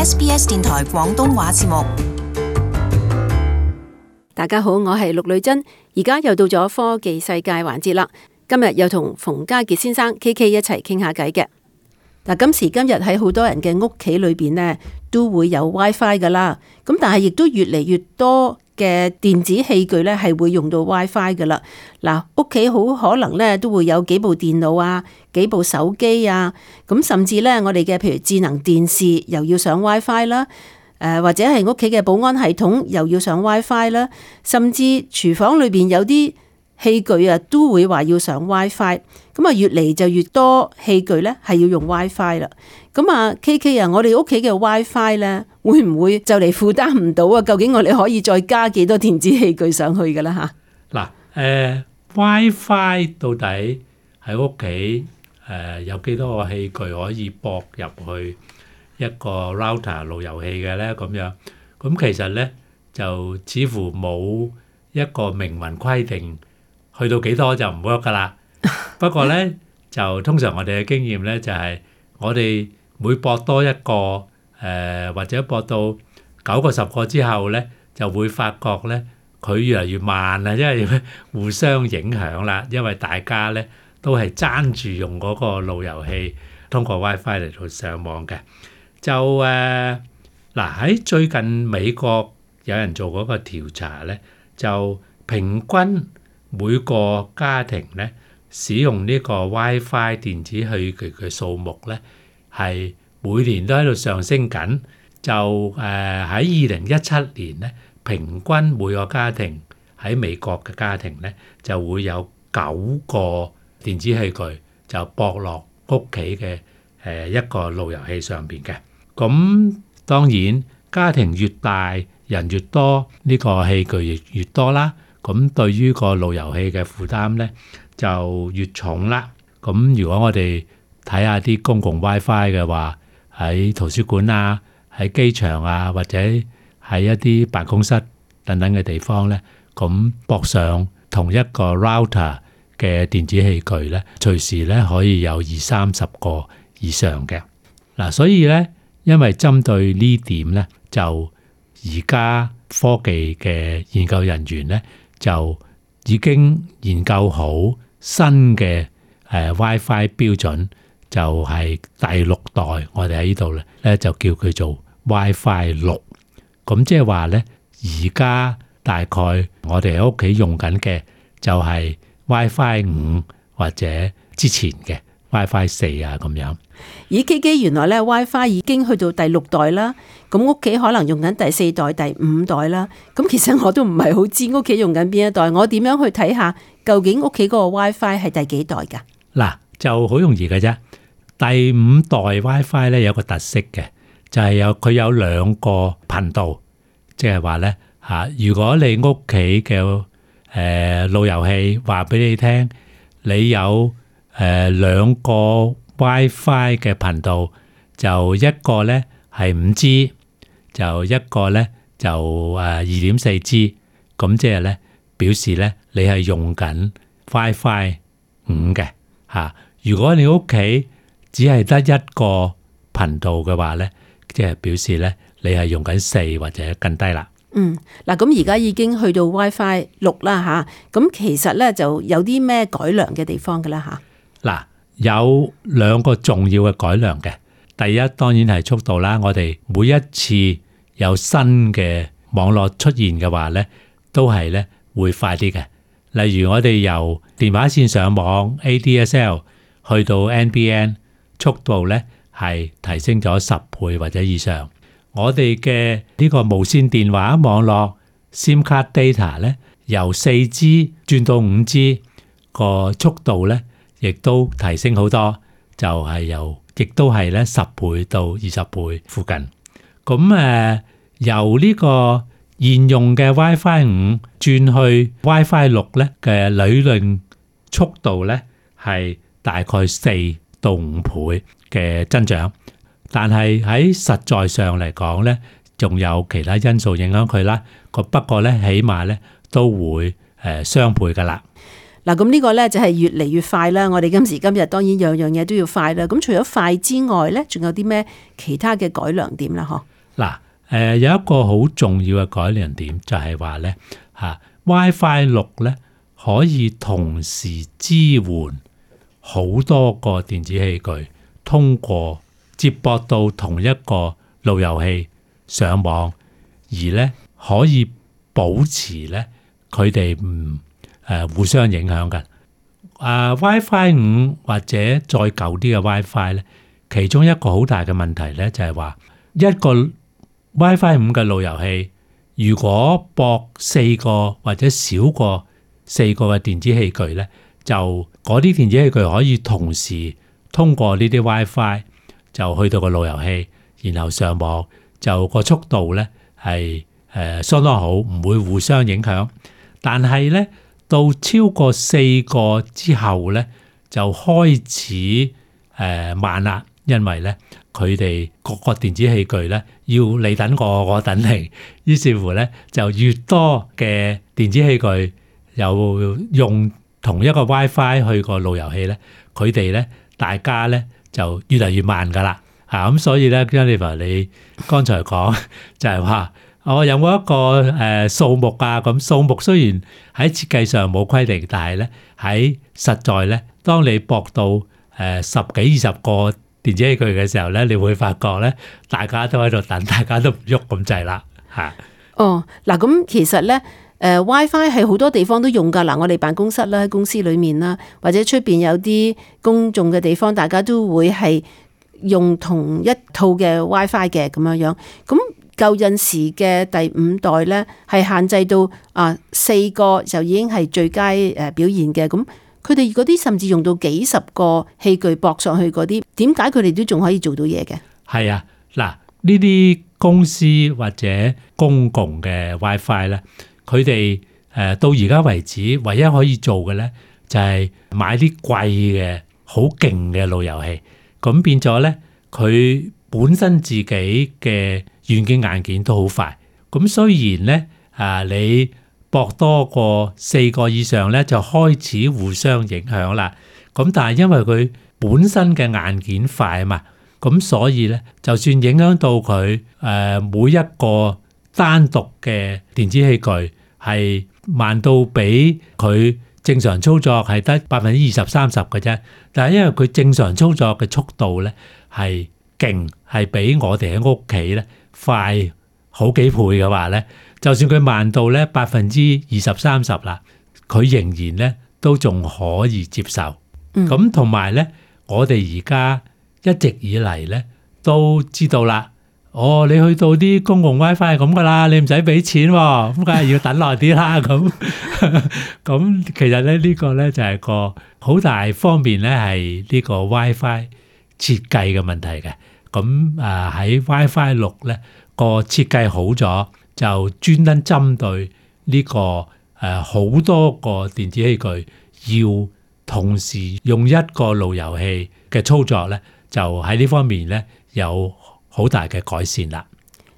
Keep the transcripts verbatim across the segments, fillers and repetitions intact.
S B S 電台廣東話節目。大家好，我係陸女珍，而家又到咗科技世界環節啦。今日又同馮家傑先生 K K 一齊傾下偈嘅。嗱，今時今日喺好多人嘅屋企裏邊呢，都會有 WiFi 噶啦。咁但係亦都越嚟越多嘅電子器具呢係會用到 WiFi 噶啦。嗱，屋企好可能呢都會有幾部電腦啊，幾部手機啊，咁甚至呢，我哋嘅譬如智能電視又要上 WiFi 啦。誒或者係屋企嘅保安系統又要上 WiFi 啦，甚至廚房裏邊有啲器具啊都會話要上 WiFi， 咁啊越嚟就越多器具咧係要用 WiFi 啦。咁啊 K K 啊，我哋屋企嘅 WiFi 咧會唔會就嚟負擔唔到啊？究竟我哋可以再加幾多電子器具上去㗎啦嚇？嗱，誒 WiFi 到底喺屋企誒有幾多個器具可以駁入去一個 router 路由器嘅咧？咁樣，咁其實咧就似乎冇一個明文規定，去到幾多就唔 work 噶啦。不過咧就通常我哋嘅經驗咧就係、是、我哋每駁多一個誒、呃、或者駁到九個十個之後咧，就會發覺咧佢越嚟越慢啦，因為互相影響啦，因為大家咧都係爭住用嗰個路由器通過 WiFi 嚟到上網嘅。就誒嗱喺最近美國有人做嗰個調查咧，就平均每個家庭咧使用呢個 WiFi 電子器具嘅數目咧係每年都喺度上升緊。就誒喺二零一七年咧，平均每個家庭喺美國嘅家庭咧就會有九個電子器具就駁落屋企嘅誒一個路由器上邊嘅。咁當然家庭越大人越多，呢個器具越越多啦，咁對於個路由器嘅負擔咧就越重啦。咁如果我哋睇下啲公共 WiFi 嘅話，喺圖書館啊、喺機場啊，或者喺一啲辦公室等等嘅地方咧，咁駁上同一個 router 嘅電子器具咧，隨時咧可以有二三十個以上嘅。嗱，所以咧因為針對呢點咧，就而家科技嘅研究人員咧就已經研究好新嘅誒 WiFi 標準，就係第六代，我哋喺呢度咧就叫佢做 WiFi 六。咁即係話咧，而家大概我哋喺屋企用緊嘅就係 WiFi 五或者之前嘅 WiFi 四啊咁樣。咦 K K， 原來咧 WiFi 已經去到第六代啦，咁屋企可能用緊第四代、第五代啦。咁其實我都唔係好知屋企用緊邊一代，我點樣去睇下究竟屋企嗰個 WiFi 係第幾代㗎？嗱，就好容易嘅啫。第五代 WiFi 咧有個特色嘅，就係有佢有兩個頻道，即係話咧嚇，如果你屋企嘅誒路由器話俾你聽，你有誒兩個 WiFi 嘅頻道，就一個咧係五 G， 就一個咧就誒二點四 G， 咁即係咧表示咧你係用緊 WiFi 五嘅嚇。如果你屋企只係得一個頻道嘅話咧，即係表示咧你係用緊四或者更低啦。嗯，嗱，咁而家已經去到 WiFi 六啦吓，咁其實咧就有啲咩改良嘅地方㗎啦吓。嗱，有兩個重要嘅改良嘅。第一當然係速度啦，我哋每一次有新嘅網絡出現嘅話咧，都係咧會快啲嘅。例如我哋由電話線上網 A D S L 去到 N B N， 速度咧係提升咗十倍或者以上。我哋嘅呢個無線電話網絡 SIM card data 咧，由四 G 轉到五 G 個速度咧，亦都提升好多，就係由亦都係咧十倍到二十倍附近。咁誒、呃、由呢個現用嘅 WiFi 五轉去 WiFi 六咧嘅理論速度咧係大概四到五倍嘅增長。但係喺實在上嚟講咧，仲有其他因素影響佢啦。個不過咧，起碼咧都會誒雙倍噶啦。嗱，咁呢個呢就係越嚟越快啦。我哋今時今日當然樣樣嘢都要快啦。咁除咗快之外呢，仲有啲咩其他嘅改良點啦？嗬？嗱，誒有一個好重要嘅改良點就係話呢，嚇 WiFi 六呢可以同時支援好多個電子器具通過接駁到同一個路由器上網，而呢可以保持呢佢哋唔誒互相影響嘅。啊 WiFi 五或者再舊啲嘅 WiFi 咧，其中一個好大嘅問題咧就係話一個 WiFi 五嘅路由器，如果駁四個或者少過四個嘅電子器具咧，就嗰啲電子器具可以同時通過呢啲 WiFi 就去到個路由器，然後上網，就個速度咧係誒相當好，唔會互相影響。但係咧，到超過四個之後咧，就開始誒、呃、慢啦，因為咧佢哋各個電子器具咧要你等我，我等你，於是乎咧就越多嘅電子器具又用同一個 WiFi 去個路由器咧，佢哋咧大家咧就越嚟越慢噶啦嚇，咁所以咧 Jennifer 你剛才講就係話。我有冇一個誒數目啊？咁數目雖然喺設計上冇規定，但係咧喺實在咧，當你駁到誒十幾二十個電子器具嘅時候咧，你會發覺咧，大家都喺度等，大家都唔喐咁滯啦嚇。哦，嗱咁其實咧，誒 WiFi 係好多地方都用㗎。嗱，我哋辦公室啦，喺公司裡面啦，或者出邊有啲公眾嘅地方，大家都會係用同一套嘅 WiFi 嘅咁樣樣。咁舊陣時嘅第五代咧，係限制到啊四個就已經係最佳誒表現嘅。咁佢哋嗰啲甚至用到幾十個器具駁上去嗰啲，點解佢哋都仲可以做到嘢嘅？係啊，嗱呢啲公司或者公共嘅 WiFi 咧，佢哋誒到而家為止，唯一可以做嘅咧就係買啲貴嘅好勁嘅路由器，咁變咗咧佢本身自己嘅軟件硬件都好快，咁雖然咧啊，你駁多過四個以上咧，就開始互相影響啦。咁但係因為佢本身嘅硬件快啊嘛，咁所以咧，就算影響到佢誒每一個單獨嘅電子器具係慢到比佢正常操作係得百分之二十三十嘅啫，但係因為佢正常操作嘅速度咧係勁，係比我哋喺屋企咧快好幾倍嘅話咧，就算佢慢到咧百分之二十三十啦，佢仍然咧都仲可以接受。咁同埋咧，我哋而家一直以嚟咧都知道啦。哦，你去到啲公共 WiFi 係咁噶啦，你唔使俾錢喎，咁梗係要等耐啲啦。咁咁其實咧呢個咧就係個好大方面咧係呢個 WiFi 設計嘅問題嘅。咁啊喺 WiFi 六咧個設計好咗，就專登針對呢個誒好多個電子器具要同時用一個路由器嘅操作咧，就喺呢方面咧有好大嘅改善啦。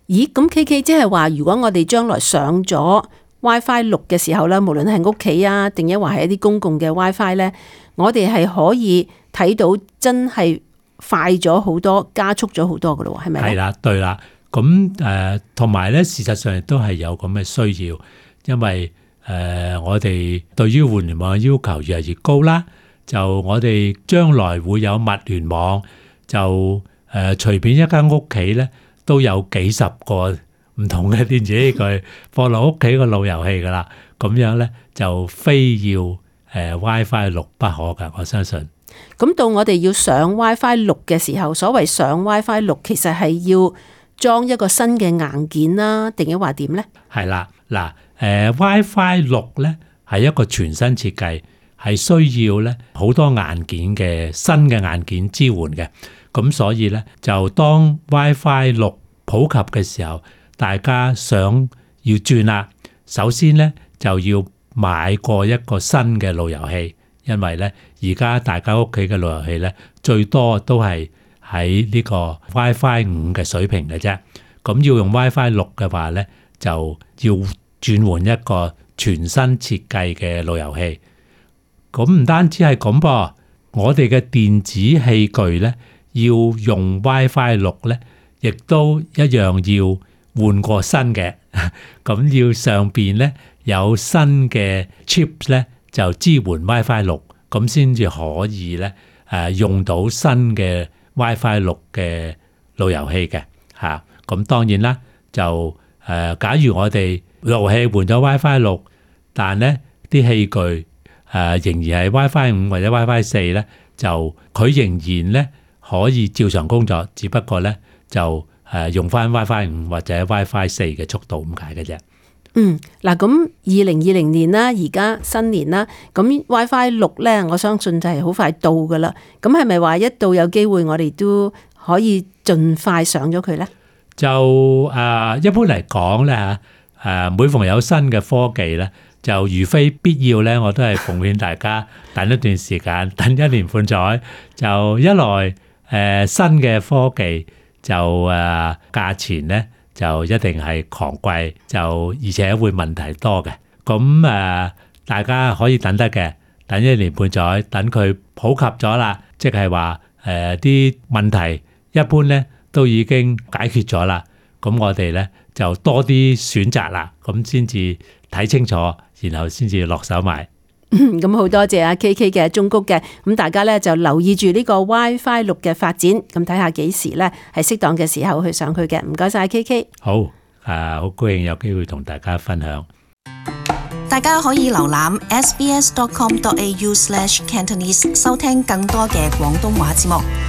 咦，咁 K K 即係話，如果我哋將來上咗 WiFi 六嘅時候咧，無論係屋企啊，定抑或係一啲公共嘅 WiFi 咧，我哋係可以睇到真係快咗好多，加速咗好多噶咯，係咪？係啦，對啦。咁誒，同埋咧，事實上亦都係有咁嘅需要，因為誒、呃、我哋對於互聯網嘅要求越嚟越高啦。就我哋將來會有物聯網，就誒隨便一間屋企咧都有幾十個唔同嘅電子器具放落屋企個路由器噶啦。咁樣咧就非要誒 WiFi 六不可噶，我相信。咁到我哋要上 WiFi 六嘅時候，所謂上 WiFi 六，其實係要裝一個新嘅硬件啦，定係話點咧？係啦，嗱，誒 WiFi 六咧係一個全新設計，係需要咧好多硬件嘅新嘅硬件支援嘅。咁所以咧，就當 WiFi 六普及嘅時候，大家想要轉啦，首先咧就要買過一個新嘅路由器，因為咧而家大家屋企嘅路由器咧最多都係喺呢個 WiFi 五嘅水平嘅啫。咁要用 WiFi 六嘅話咧，就要轉換一個全新設計嘅路由器。咁唔單止係咁噃，我哋嘅電子器具咧要用 WiFi 六咧，亦都一樣要換過新嘅。咁要上邊咧有新嘅 chips 咧，就支援 WiFi 六，咁先至可以咧誒用到新嘅 WiFi 六嘅路由器嘅嚇。咁當然啦，就誒假如我哋路由器換咗 WiFi 六，但咧啲器具誒仍然係 WiFi 五或者 WiFi 四咧，就佢仍然咧可以照常工作，只不過咧就誒用翻 WiFi 五或者 WiFi 四嘅速度咁解嘅啫。嗯，嗱，咁二零二零年啦，而家新年啦，咁 WiFi 六咧，我相信就係好快到噶啦。咁係咪話一到有機會，我哋都可以盡快上咗佢咧？就誒、呃、一般嚟講咧嚇誒，每逢有新嘅科技咧，就如非必要咧，我都係奉勸大家等一段時間，等一年半載。就一來誒、呃、新嘅科技就誒、呃、價錢咧，就一定係狂貴，就而且會問題多嘅。咁誒、呃，大家可以等得嘅，等一年半載，等佢普及咗啦，即係話誒啲問題一般咧都已經解決咗啦。咁我哋咧就多啲選擇啦，咁先至睇清楚，然後先至落手買。咁好多謝阿 K K 嘅忠告嘅，咁大家咧就留意住呢個 WiFi 六嘅發展，咁睇下幾時咧係適當嘅時候去上去嘅。唔該晒 K K。好，誒、啊，好高興有機會同大家分享。大家可以瀏覽 s b s dot com dot a u slash cantonese 收聽更多嘅廣東話節目。